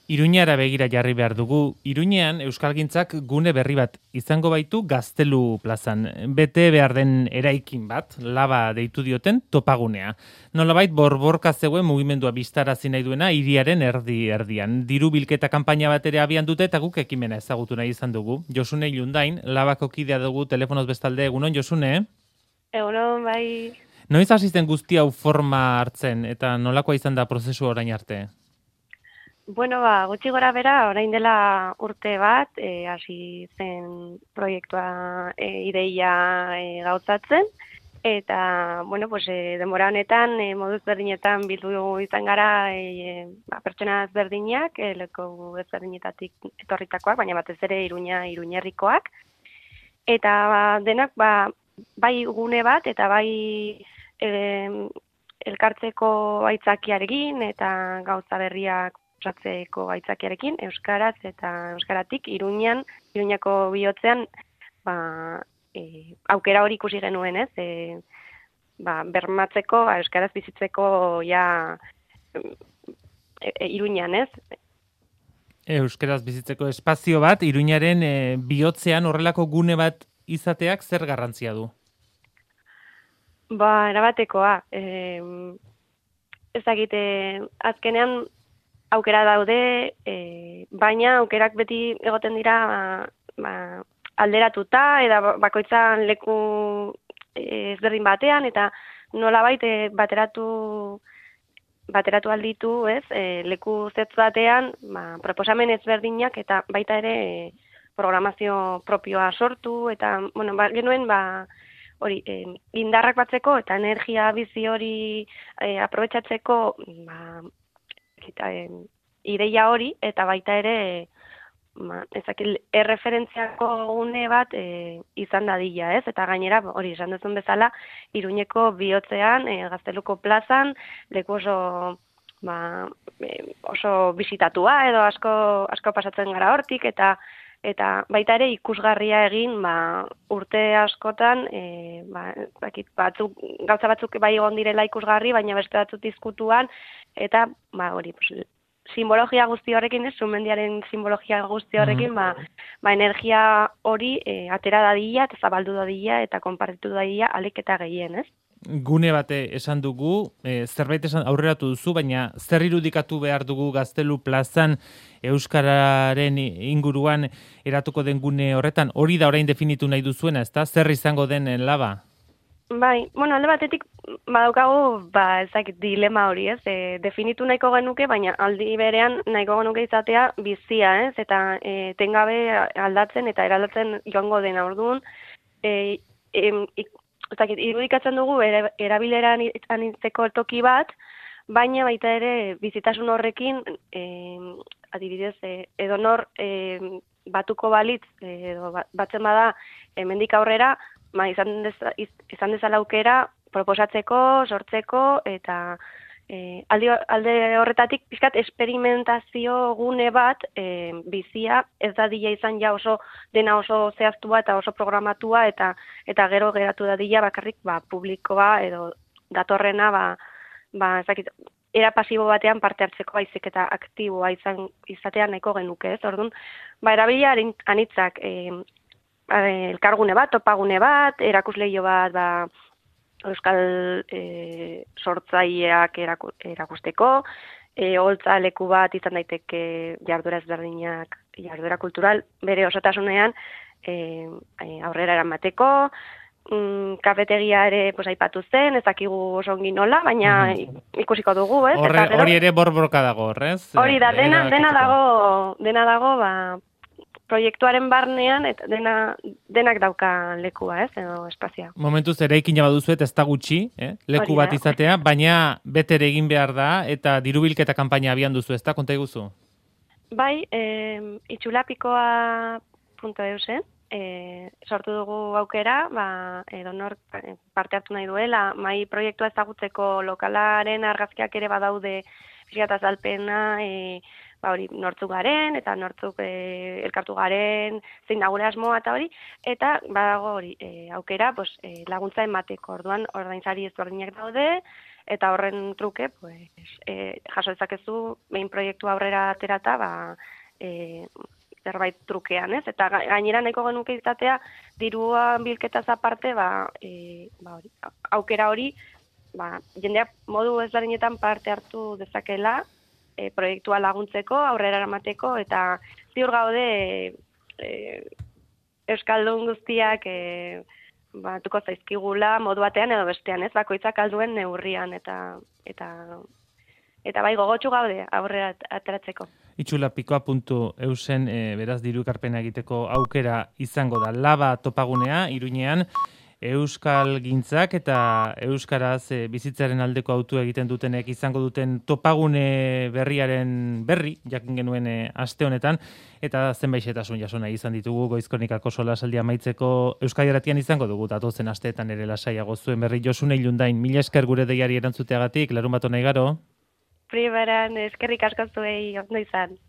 Iruñara begira jarri behar dugu. Iruñean Euskalgintzak gune berri bat izango baitu Gaztelu plazan. Bete behar den eraikin bat, laba deitu dioten topagunea. Nolabait borborka zegoen mugimendua bistarazi nahi duena hiriaren erdian. Diru bilketa kanpaina bat ere abian dute eta guk ekimena ezagutu nahi izan dugu. Josune Ilundain, labako kidea dugu telefonoz bestalde. Egunon, Josune? Egunon, bai. Noiz hasi zen guzti hau forma hartzen eta nolakoa izan da prozesu orain arte? Bueno, gutxi gora bera, orain dela urte bat, hasi zen proiektua ideia gauzatzen, eta, bueno, pues, denbora honetan, modu ezberdinetan bildu izan gara pertsona ezberdinak, leku ezberdinetatik etorritakoak, baina batez ere Iruñerrikoak, eta denak, bai gune bat, eta bai elkartzeko aitzakiarekin, eta gauza berriak osatzeko aitzakiarekin, euskaraz eta euskaratik Iruñako bihotzean aukera hori ikusi genuen, ez? Bermatzeko, euskaraz bizitzeko Iruñan, ez? Euskaraz bizitzeko espazio bat, Iruñaren bihotzean horrelako gune bat izateak zer garrantzia du? Erabatekoa. Ez dakite, azkenean aukera daude, baina aukerak beti egoten dira alderatuta, eta bakoitzan leku ezberdin batean, eta nolabait bateratu alditu, ez, leku zetz batean, proposamen ezberdinak, eta baita ere programazio propioa sortu, eta, bueno, genuen, hori, indarrak batzeko, eta energia bizi hori aprobetxatzeko, ideia hori, eta baita ere erreferentziako gune bat izan dadila, ez? Eta gainera, hori esan duzun bezala, Iruñeko bihotzean, Gazteluko plazan, leku oso bisitatua, edo asko pasatzen gara hortik, eta baita ere ikusgarria egin urte askotan, gauza batzuk bai egon direla ikusgarri, baina beste batzuk diskutuan, eta hori, simbologia guzti horrekin, Sumendiaren simbologia guzti horrekin, energia hori atera dadila, eta zabaldu dadila, eta konpartitu dadila alik eta gehien, ez? Gune bate esan dugu, zerbait aurreratu duzu, baina zer irudikatu behar dugu Gaztelu plazan euskararen inguruan eratuko den gune horretan, hori da orain definitu nahi duzuena, ezta? Zer izango den laba? Bai, bueno, alde batetik badaukagu, dilema hori, ez? Definitu nahiko genuke, baina aldi berean nahiko genuke izatea bizia, ez? Eta tengabe aldatzen eta eraldatzen joango dena orduan, irudikatzen dugu erabileran anitzeko toki bat, baina baita ere bizitasun horrekin, adibidez, edonor batuko balitz, edo batzen bada hemendik aurrera, izan dezala aukera proposatzeko, sortzeko, eta alde horretatik pixkat esperimentazio gune bat bizia ez dadila izan dena oso zehaztua eta oso programatua, eta gero geratu dadila bakarrik publikoa edo datorrena era pasibo batean parte hartzeko baizik eta aktiboa izatea nahiko genuke, ez? Orduan, erabilia anitzak elkargune bat, topagune bat, erakusleio bat, euskal sortzaileak erakusteko, holtza leku bat izan daiteke jarduera ezberdinak, jarduera kultural, bere osotasunean aurrera eramateko, kafetegia ere aipatu zen, ez dakigu oso ongi nola, baina ikusiko dugu, ez? Hori ere borborka dago, ez? Hori da, dena dago, proiektuaren barnean, eta denak dauka lekua, ez, edo espazioa. Momentuz eraikina baduzuet ez da gutxi, leku bat izatea, baina betere egin behar da, eta dirubilketa kanpaina abian duzu, ez da, konta iguzu? Bai, itxulapikoa.eusen, sortu dugu aukera, edonor parte hartu nahi duela, mai proiektua ezagutzeko lokalaren argazkiak ere badaude pixkat azalpena, hori nortzuk garen, eta nortzuk elkartu garen, zein da gure asmoa eta hori, eta badago hori aukera laguntza emateko, orduan ordainsari ezberdinak daude, eta horren truke, pues, jaso dezakezu behin proiektu aurrera aterata, zerbait trukean, ez? Eta gainera nahiko genuke izatea, dirua bilketaz aparte, hori, aukera hori, jendeak modu ezberdinetan parte hartu dezakela, proiektua laguntzeko, aurrera eramateko, eta ziur gaude euskaldun guztiak batuko zaizkigula modu batean edo bestean, ez? Bakoitzak alduen neurrian eta bai gogotsu gaude aurrera ateratzeko. Itxulapikoa.eusen beraz diru ekarpena egiteko aukera izango da. Laba topagunea Iruñean euskal gintzak eta euskaraz bizitzaren aldeko autua egiten dutenek izango duten topagune berriaren berri jakin genuen aste honetan eta zenbaixetasun jasona izan ditugu Goizkonikako solasaldia amaitzeko Euskadi Irratian izango dugu datozen asteetan ere lasaiago zuen berri. Josune Ilundain, mila esker gure deiari erantzuteagatik, larunbat on igaro. Primeran eskerrik asko zuei ondo izan.